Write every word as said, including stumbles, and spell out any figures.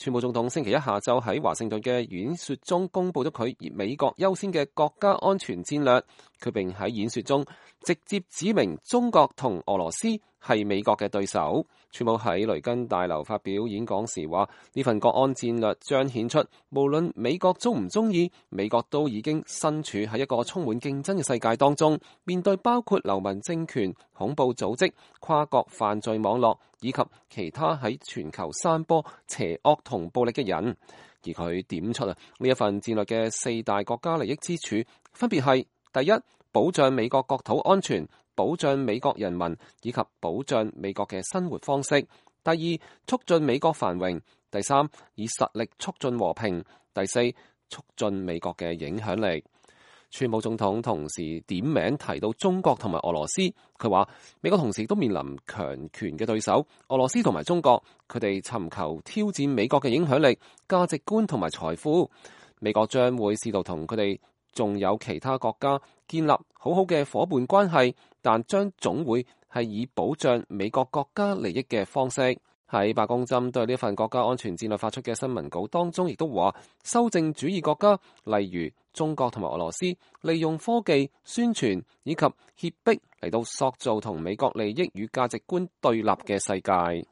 川普總統星期一下晝喺華盛頓嘅演說中公布咗佢以美國優先嘅國家安全戰略，佢並喺演說中直接指明中國同俄羅斯係美國嘅對手。川普喺雷根大樓發表演講時話，呢份國安戰略彰顯出無論美國中唔中意，美國都已經身處喺一個充滿競爭嘅世界當中，面對包括流氓政權、恐怖組織、跨國犯罪網絡以及其他喺全球散播邪惡同暴力嘅人。而佢點出啊呢一份戰略嘅四大國家利益之處，分別係第一，保障美國國土安全，保障美國人民以及保障美國嘅生活方式；第二，促進美國繁榮；第三，以實力促進和平；第四，促進美國嘅影響力。川普總統同時點名提到中國同埋俄羅斯，佢話美國同時都面臨強權嘅對手，俄羅斯同埋中國，佢哋尋求挑戰美國嘅影響力、價值觀同埋財富。美國將會試圖同佢哋仲有其他國家建立好好嘅夥伴關係，但將總會係以保障美國國家利益嘅方式。喺白宮針對呢份國家安全戰略發出嘅新聞稿當中，亦都話修正主義國家，例如中國同埋俄羅斯，利用科技、宣傳以及脅迫嚟到塑造同美國利益與價值觀對立嘅世界。